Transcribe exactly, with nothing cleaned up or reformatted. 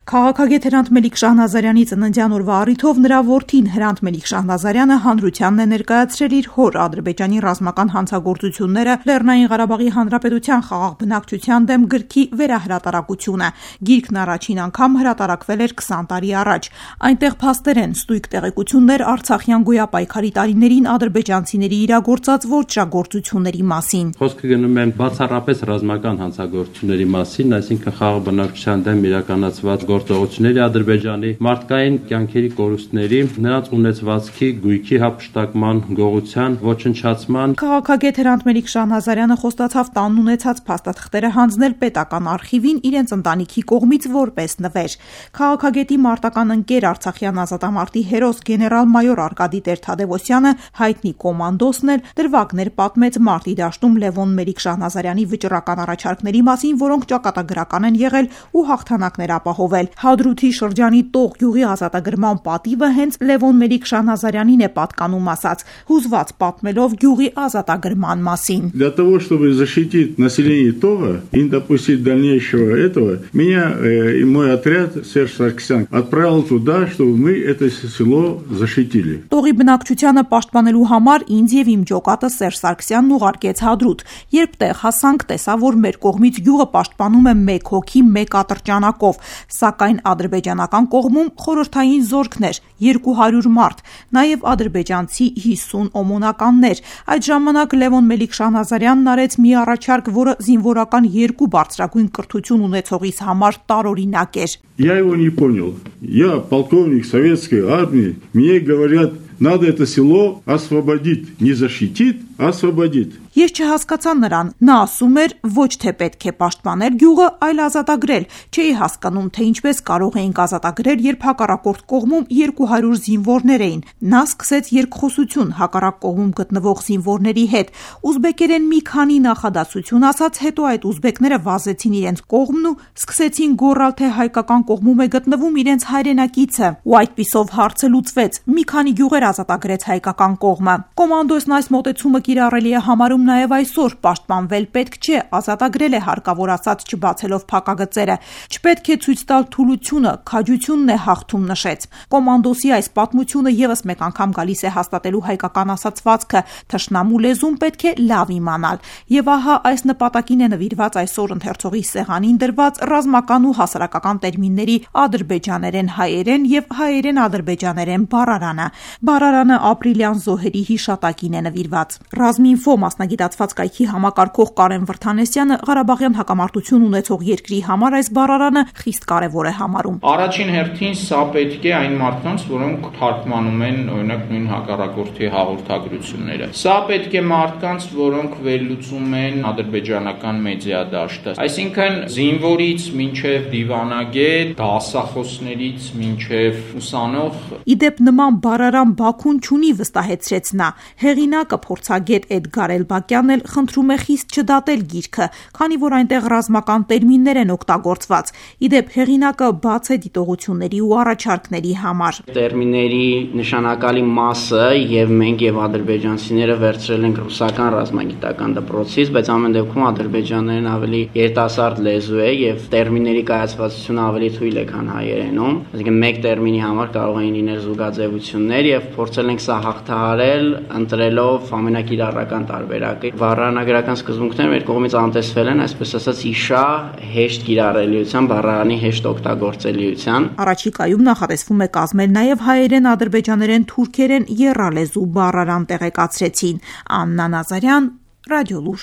Քաղաքագետ Հրանտ Մելիք Շահնազարյանի ծննդյան օրվա առիթով նրա որդին Հրանտ Մելիք Շահնազարյանը հանրությանն է ներկայացրել իր հոր Ադրբեջանի ռազմական հանցագործությունները Լեռնային Ղարաբաղի Հանրապետության խաղաղ բնակչության դեմ գրքի վերահրատարակությունը։ Գիրքն առաջին անգամ հրատարակվել էր քսան տարի առաջ։ Այնտեղ փաստերեն ստույգ տեղեկություններ Արցախյան գոյապայքարի տարիներին ադրբեջանցիների իրագործած ոճրագործությունների մասին։ Խոսքը գնում է բացառապես ռազմական հանցագործությունների մասին, այսինքն խաղաղ բնակչության դեմ իրականացված գործողությունների Ադրբեջանի մարդկային կյանքերի կորուստների, նրանց ունեցվածքի, գույքի հափշտակման, գողության, ոչնչացման։ Քաղաքագետ Հրանտ Մելիք Շահնազարյանը խոստացավ տանն ունեցած փաստաթղթերը հանձնել պետական արխիվին իրենց ընտանիքի կողմից որպես նվեր։ Քաղաքագետի մարտական ընկեր Արցախյան ազատամարտի հերոս գեներալ-մայոր Արկադի Տեր-Թադևոսյանը հայտնի կոմանդոսն էլ դրվագներ պատմեց մարտի դաշտում Լևոն Մելիք Շահնազարյանի վճռական առաջարկների մասին, որոնք ճակատագրական են եղել ու հաղթանակներ ապահովել։ Հադրութի շրջանի Տող գյուղի ազատագրման պատիվը հենց Լևոն Մելիք Շահնազարյանին է պատկանում ասած, հուզված պատմելով գյուղի ազատագրման մասին։ Для того, чтобы защитить население Тога и не допустить дальнейшего этого, меня и мой отряд Серж Саркисян отправил туда, чтобы мы это село защитили։ Տողի բնակչությանը պաշտպանելու համար ինձ եւ իմ ջոկատը Սերժ Սարգսյանն ուղարկեց Հադրութ։ Երբ տեղ հասանք, տեսա, որ մեր կողմից գյուղը պաշտպանում է մեկ հոգի, մեկ ատրճանակով, սակայն ադրբեջանական կողմում խորհրդային զորքներ, երկու հարյուր մարդ, նաև ադրբեջանցի հիսուն օմոնականներ։ Այդ ժամանակ Լևոն Մելիք Շահնազարյանն արեց մի առաջարկ, որը զինվորական երկու բարձրագույն կրթություն ունեցողիս համար տարօրինակ էր։ Я его не понял. Я полковник советской армии. Мне говорят, надо это село освободить, не защитить, а освободить։ Ես չհասկացա նրան։ Նա ասում էր, ոչ թե պետք է պաշտպանել գյուղը, այլ ազատագրել։ Չէի հասկանում, թե ինչպես կարող էինք ազատագրել, երբ հակառակորդ կողմում երկու հարյուր զինվորներ էին։ Նա սկսեց երկխոսություն հակառակ կողմում գտնվող զինվորների հետ։ Ուզբեկերեն մի քանի նախադասություն ասաց, հետո այդ ուզբեկները վազեցին իրենց կողմն ու սկսեցին գոռալ, թե հայկական կողմում է գտնվում իրենց հայրենակիցը։ Ու այդպիսով հարցը լուծվեց։ Մի քանի գյուղեր ազատագրեց հայկական կողմը։ Կոմանդոսն այս մոտեցումը կիրառելի է համարում նաև այսօր, պաշտպանվել պետք չէ, ազատագրել է հարկավոր ասած չբացելով փակագծերը։ Չպետք է ցույց տալ թուլությունը, քաջությունն է հաղթում նշեց։ Կոմանդոսի այս պատմությունը եւս մեկ անգամ գալիս է հաստատելու հայկական ասացվածքը, թշնամու լեզուն պետք է լավ իմանալ։ Եվ ահա այս նպատակին է նվիրված այսօր ընթերցողի սեղանին դրված ռազմական ու հասարակական տերմինների ադրբեջաներեն հայերեն եւ հայերեն ադրբեջաներեն բառարանը։ Բառարանը ապրիլյան զոհերի հիշատակին է նվիրված։ Ռազմինֆո մասնագիտացված կայքի համակարգող Կարեն Վրթանեսյանը Ղարաբաղյան հակամարտություն ունեցող երկրի համար այս բառարանը խիստ կարևոր է համարում։ Առաջին հերթին սա պետք է այն մարդկանց, որոնք թարգմանում են օրինակ նույն հակառակորդի հաղորդագրությունները։ Սա պետք է մարդկանց, որոնք վերլուծում են ադրբեջանական մեդիա դաշտը։ Այսինքն զինվորից մինչև դիվանագետ, դասախոսներից մինչև ուսանող։ Իդեպ նման բառարան Բաքուն չունի, վստահեցրեց նա։ Հեղինակը փորձագետ Էդգար Էլբակյանն էլ խնդրում է խիստ չդատել գիրքը, քանի որ այնտեղ ռազմական տերմիններ են օգտագործված։ Իդեպ հեղինակը բաց է դիտողությունների ու առաջարկների համար։ Տերմինների նշանակալի մասը եւ մենք եւ ադրբեջանցիները վերցրել ենք ռուսական ռազմագիտական դպրոցից, բայց ամեն դեպքում ադրբեջաներն ավելի երիտասարդ լեզու է եւ տերմինների կայացվածությունը ավելի թույլ է, քան հայերենում։ Այսինքն մեկ տերմինի համար կարող էին լինել զուգաձևություններ եւ փորձել ենք սա հաղթահարել, ընտրելով ամենակիրառական տարբերակը։ Բառարանագրական սկզբունքները մեր կողմից անտեսվել են, այսպես ասած, իշա հեշտ կիրառելիության, բառարանի հեշտ օգտագործելիության։ Առաջիկայում նախատեսվում է կազմել նաև հայերեն, ադրբեջաներեն, թուրքերեն եռալեզու բառարան տեղեկացրեցին։ Աննա Նազարյան, Ռադիոլուր։